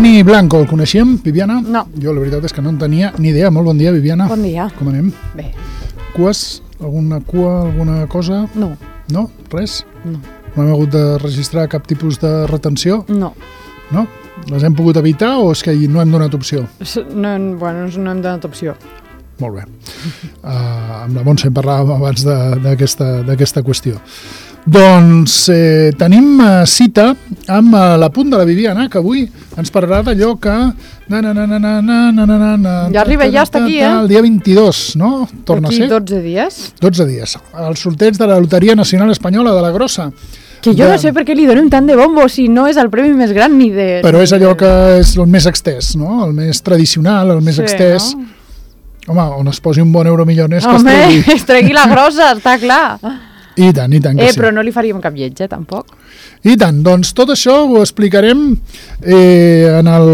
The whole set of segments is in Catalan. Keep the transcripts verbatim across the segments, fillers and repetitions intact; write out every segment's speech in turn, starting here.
Benny Blanco, el coneixíem, Viviana? No. Jo la veritat és que no en tenia ni idea. Molt bon dia, Viviana. Bon dia. Com anem? Bé. Cues? Alguna cua, alguna cosa? No. No? Res? No. No hem hagut de registrar cap tipus de retenció? No. No? Les hem pogut evitar o és que no hem donat opció? No, bueno, no hem donat opció. Molt bé. Uh, amb la Montse en parlàvem abans d'aquesta qüestió. Doncs eh, tenim uh, cita amb uh, la punt de la Viviana, que avui ens parlarà d'allò que... Na, na, na, na, na, na, na, na, na, ja arriba, ja està aquí, eh? El dia vint-i-dos, no? Torna a ser? Aquí dotze dies. dotze dies. El sorteig de la Loteria Nacional Espanyola de la Grossa. Que jo de... no sé per què li donem tant de bombo si no és el premi més gran ni de... Però és allò que és el més extès, no? El més tradicional, el més sí, extès. No? Home, on es posi un bon euromillones que Home, es tregui. es tregui la grossa, està clar. I tant, i tant que eh, sí. Però no li faríem cap lleig, eh, tampoc. I tant, doncs tot això ho explicarem eh, en el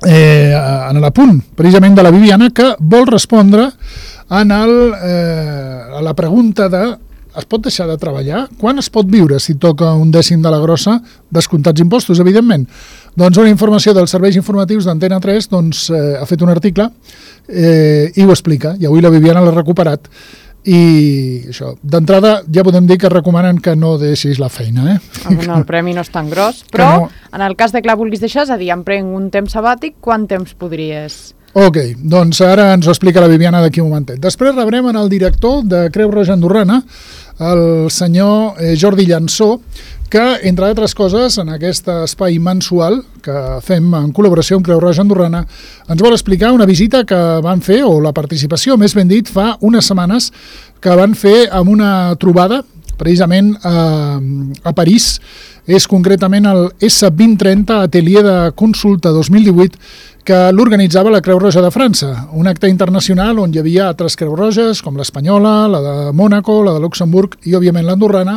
eh, en l'apunt, precisament de la Viviana, que vol respondre en el, eh, a la pregunta de es pot deixar de treballar? Quan es pot viure si toca un dècim de la grossa, descomptats impostos, evidentment? Doncs una informació dels serveis informatius d'Antena tres doncs, eh, ha fet un article eh, i ho explica, i avui la Viviana l'ha recuperat. I això, d'entrada ja podem dir que recomanen que no deixis la feina, eh? Ah, bueno, el premi no és tan gros, però no. En el cas de que la vulguis deixar, és a dir, em prenc un temps sabàtic, quant temps podries... Ok, doncs ara ens ho explica la Viviana d'aquí un momentet. Després rebrem en el director de Creu Roja Andorrana, el senyor eh, Jordi Llansó, que, entre altres coses, en aquest espai mensual que fem en col·laboració amb Creu Roja Andorrana, ens vol explicar una visita que van fer, o la participació, més ben dit, fa unes setmanes que van fer amb una trobada, precisament a, a París. És concretament el S vint trenta Atelier de Consulta dos mil divuit, que l'organitzava la Creu Roja de França, un acte internacional on hi havia altres Creu Roges, com l'espanyola, la de Mònaco, la de Luxemburg i, òbviament, l'andorrana,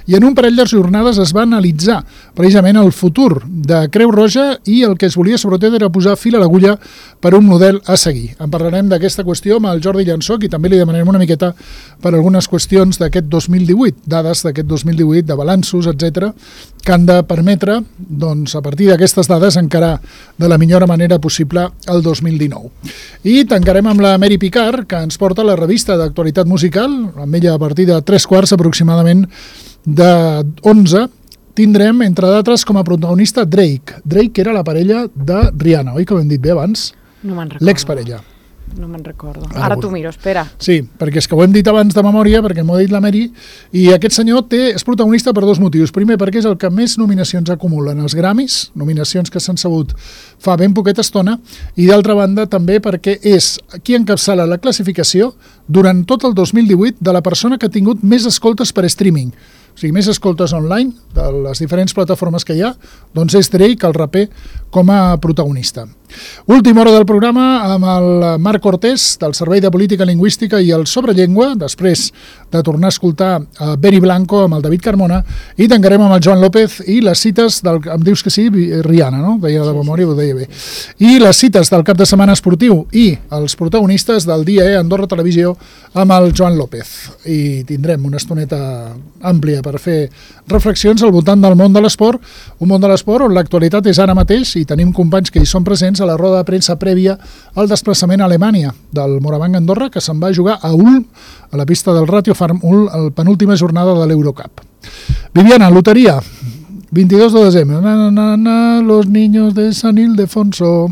i en un parell de jornades es va analitzar precisament el futur de Creu Roja i el que es volia, sobretot, era posar fil a l'agulla per un model a seguir. En parlarem d'aquesta qüestió amb el Jordi Llansó, i també li demanarem una miqueta per algunes qüestions d'aquest dos mil divuit, dades d'aquest dos mil divuit, de balanços, etcètera, que han de permetre, doncs, a partir d'aquestes dades, encarar de la millor manera possible el dos mil dinou. I tancarem amb la Mary Picard, que ens porta la revista d'actualitat musical, amb ella a partir de tres quarts aproximadament de onze, tindrem, entre d'altres, com a protagonista Drake. Drake era la parella de Rihanna, oi que ho hem dit bé abans? No me'n recordo. L'exparella. No me'n recordo. Ara, Ara t'ho miro, espera. Sí, perquè és que ho hem dit abans de memòria, perquè m'ho ha dit la Mary, i aquest senyor té, és protagonista per dos motius. Primer, perquè és el que més nominacions acumula en els Grammys, nominacions que s'han sabut fa ben poqueta estona, i d'altra banda també perquè és qui encapçala la classificació durant tot el dos mil divuit de la persona que ha tingut més escoltes per streaming. O sigui, més escoltes online de les diferents plataformes que hi ha, doncs és Drake, el raper, com a protagonista. Última hora del programa amb el Marc Cortés, del Servei de Política Lingüística i el Sobrellengua, després de tornar a escoltar a Benny Blanco amb el David Carmona, i tancarem amb el Joan López i les cites del... Em dius que sí, Rihanna, no? Deia de memòria, ho deia bé. I les cites del cap de setmana esportiu i els protagonistes del dia E Andorra Televisió amb el Joan López. I tindrem una estoneta àmplia per fer reflexions al voltant del món de l'esport, un món de l'esport on l'actualitat és ara mateix i tenim companys que hi són presents a la roda de premsa prèvia al desplaçament a Alemanya del Morabanc Andorra, que se'n va jugar a Ulm, a la pista del Ratio Farm Ulm, a la penúltima jornada de l'Eurocup. Viviana, loteria, vint-i-dos de desembre, na, na, na, na, los niños de San Ildefonso.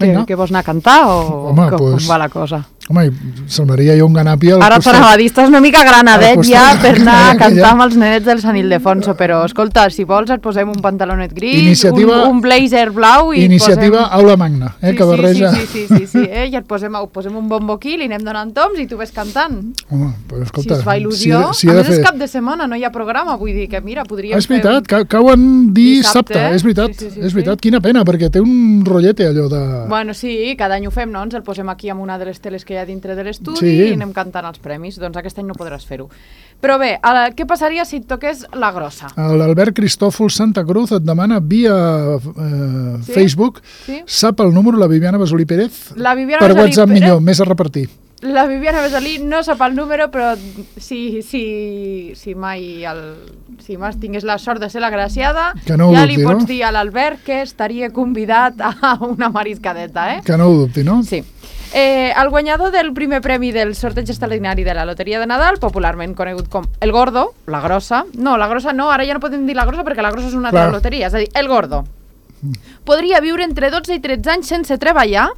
Què, què vols anar a cantar o Home, com, pues, com va la cosa? Home, semblaria jo un ganapi al Ara costat. t'anava a dir, estàs una mica granadet ja per anar a cantar ja. amb els nenets del Sant Ildefonso, però escolta, si vols et posem un pantalonet gris, Iniciativa, un, un blazer blau i Iniciativa posem... Aula Magna, eh, sí, que barreja... Sí, sí, sí, sí, sí, eh? I et posem, posem un bombo aquí, li anem donant toms i tu ves cantant. Home, però escolta... Si es fa il·lusió, si, si a de més fer... és cap de setmana, no hi ha programa, vull dir que mira, podríem Ah, és veritat, fer... un... cauen dissabte, dissabte, és veritat, sí, sí, sí, és veritat, sí. Quina pena, perquè té un rotllete allò de... Bueno, sí, cada any ho fem, no? Ens el posem aquí amb una de les teles que hi ha dintre de l'estudi Sí. i anem cantant els premis, doncs aquest any no podràs fer-ho. Però bé, ara, què passaria si et toqués la grossa? L'Albert Cristòfol Santa Cruz et demana via eh, Sí? Facebook, Sí? sap el número la Viviana Basolí Pérez? La Viviana Per Basolí WhatsApp Pérez? millor, més a repartir. La Viviana Besalí no sap el número, però si, si, si mai el, si mai tingués la sort de ser l'agraciada, no ja dubti, li pots no? dir a l'Albert que estaria convidat a una mariscadeta, eh? Que no ho dubti, no? Sí. Eh, el guanyador del primer premi del sorteig extraordinari de la Loteria de Nadal, popularment conegut com el Gordo, la grossa, no, la grossa no, ara ja no podem dir la grossa perquè la grossa és una altra loteria, és a dir, el Gordo, podria viure entre dotze i tretze anys sense treballar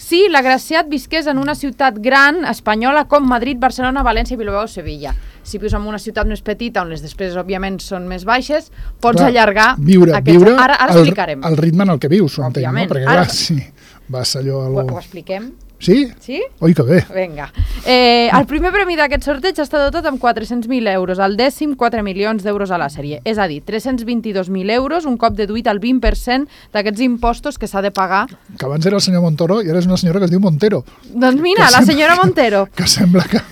si l'agraciat visqués en una ciutat gran espanyola com Madrid, Barcelona, València, Bilbao o Sevilla. Si vius en una ciutat més petita on les despeses òbviament són més baixes, pots clar, allargar viure, aquests... viure ara, ara el, explicarem. El ritme en el que vius, ho entenc, no? Perquè ara... clar, sí, vas allò... Algo... Ho, ho expliquem? Sí? Sí? Oi, que bé. Vinga. Eh, el primer premi d'aquest sorteig està dotat amb quatre-cents mil euros, el dècim quatre milions d'euros a la sèrie. És a dir, tres-cents vint-i-dos mil euros, un cop deduït el vint per cent d'aquests impostos que s'ha de pagar. Que abans era el senyor Montoro i ara és una senyora que es diu Montero. Doncs mira, que la senyora sembla, Montero. Que sembla que...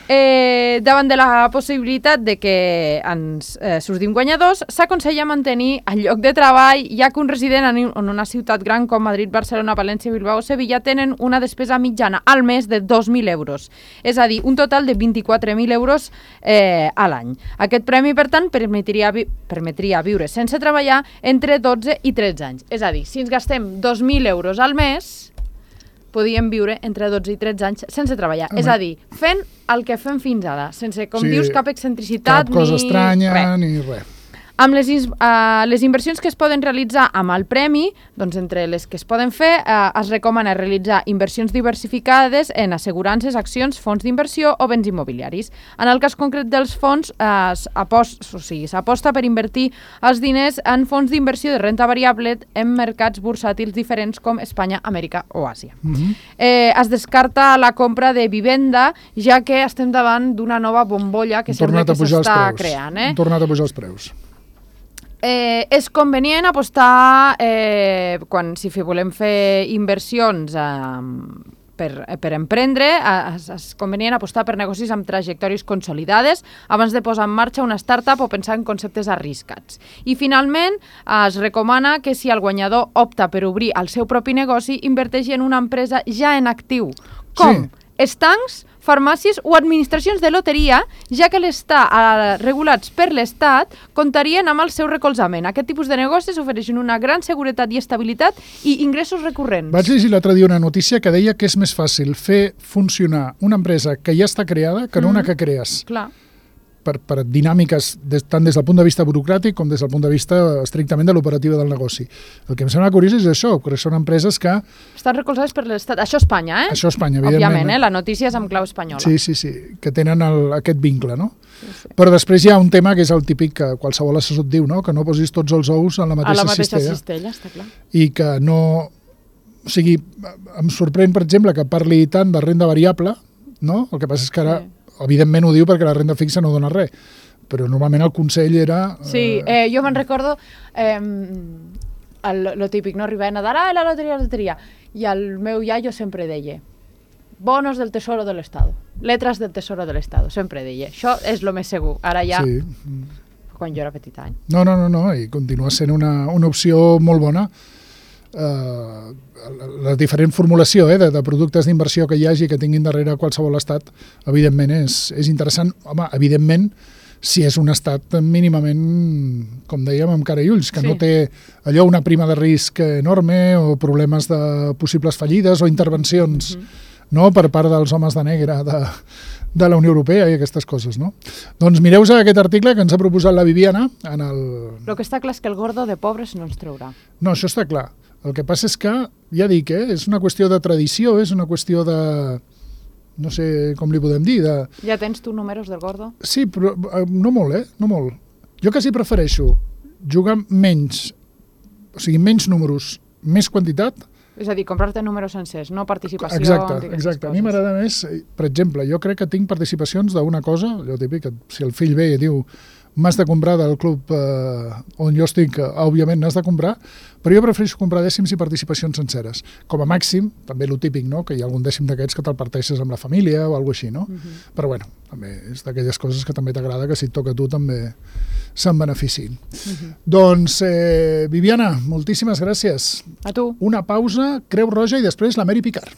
Eh, davant de la possibilitat de que ens eh, sortim guanyadors, s'aconsella mantenir el lloc de treball, ja que un resident en, en una ciutat gran com Madrid, Barcelona, València, Bilbao o Sevilla tenen una despesa mitjana al mes de dos mil euros, és a dir, un total de vint-i-quatre mil euros eh, a l'any. Aquest premi, per tant, permetria, vi permetria viure sense treballar entre dotze i tretze anys. És a dir, si ens gastem dos mil euros al mes, podíem viure entre dotze i tretze anys sense treballar. Home. És a dir, fent el que fem fins ara, sense, com sí, dius, cap excentricitat, cap cosa ni estranya, res. ni res. Amb les, uh, les inversions que es poden realitzar amb el premi, doncs entre les que es poden fer, uh, es recomana realitzar inversions diversificades en assegurances, accions, fons d'inversió o béns immobiliaris. En el cas concret dels fons, uh, s'aposta o sigui, s'aposta per invertir els diners en fons d'inversió de renta variable en mercats bursàtils diferents com Espanya, Amèrica o Àsia. Uh-huh. eh, es descarta la compra de vivenda, ja que estem davant d'una nova bombolla que sembla que s'està creant. Eh? Han tornat a pujar els preus. Eh, és convenient apostar, eh, quan si volem fer inversions eh, per, per emprendre, eh, és, és convenient apostar per negocis amb trajectòries consolidades abans de posar en marxa una startup o pensar en conceptes arriscats. I finalment, eh, es recomana que si el guanyador opta per obrir el seu propi negoci, inverteixi en una empresa ja en actiu, com sí. estancs, farmàcies o administracions de loteria, ja que l'estar eh, regulats per l'Estat comptarien amb el seu recolzament. Aquest tipus de negocis ofereixen una gran seguretat i estabilitat i ingressos recurrents. Vaig llegir l'altre dia una notícia que deia que és més fàcil fer funcionar una empresa que ja està creada que no mm-hmm. una que crees. Clar. Per, per dinàmiques des, tant des del punt de vista burocràtic com des del punt de vista estrictament de l'operativa del negoci. El que em sembla curiós és això, perquè són empreses que... Estan recolzades per l'Estat. Això Espanya, eh? Això Espanya, evidentment. Òbviament, eh? La notícia és amb clau espanyola. Sí, sí, sí, que tenen el, aquest vincle, no? Sí, sí. Però després hi ha un tema que és el típic que qualsevol assessor et diu, no? Que no posis tots els ous en la mateixa, a la mateixa cistella. cistella, està clar. I que no... O sigui, em sorprèn, per exemple, que parli tant de renda variable, no? El que passa és que ara, sí. evidentment ho diu perquè la renda fixa no dona res, però normalment el consell era... Sí, eh, jo me'n recordo eh, el, lo típic, no? Arribar a Nadal, ah, la loteria, la loteria. I el meu iaio sempre deia, bonos del tesoro del Estado, letras del tesoro del Estado, sempre deia. Això és el més segur. Ara ja, sí. quan jo era petit any. No, no, no, no, i continua sent una, una opció molt bona. Uh, la, la diferent formulació eh, de, de productes d'inversió que hi hagi que tinguin darrere qualsevol estat, evidentment és, és interessant. Home, evidentment, si és un estat mínimament, com dèiem, amb cara i ulls, que sí. no té allò una prima de risc enorme o problemes de possibles fallides o intervencions mm-hmm. no, per part dels homes de negre de, de la Unió Europea i aquestes coses. No? Doncs mireu-vos aquest article que ens ha proposat la Viviana. En el... el que està clar és que el gordo de pobres no ens traurà. No, això està clar. El que passa és que, ja dic, eh, és una qüestió de tradició, és una qüestió de... no sé com li podem dir. De... Ja tens tu números del gordo? Sí, però no molt, eh? No molt. Jo quasi prefereixo jugar menys, o sigui, menys números, més quantitat. És a dir, comprar-te números sencers, no participació. Exacte, exacte. A mi m'agrada més, per exemple, jo crec que tinc participacions d'una cosa, allò típic, si el fill ve i diu m'has de comprar del club eh, on jo estic, eh, òbviament n'has de comprar, però jo prefereixo comprar dècims i participacions senceres. Com a màxim, també lo típic, no? Que hi ha algun dècim d'aquests que te'l parteixes amb la família o alguna així, no? Uh-huh. Però bueno, també és d'aquelles coses que també t'agrada que si et toca a tu també se'n beneficiïn. Uh-huh. Doncs, eh, Viviana, moltíssimes gràcies. A tu. Una pausa, Creu Roja i després la Mary Picard.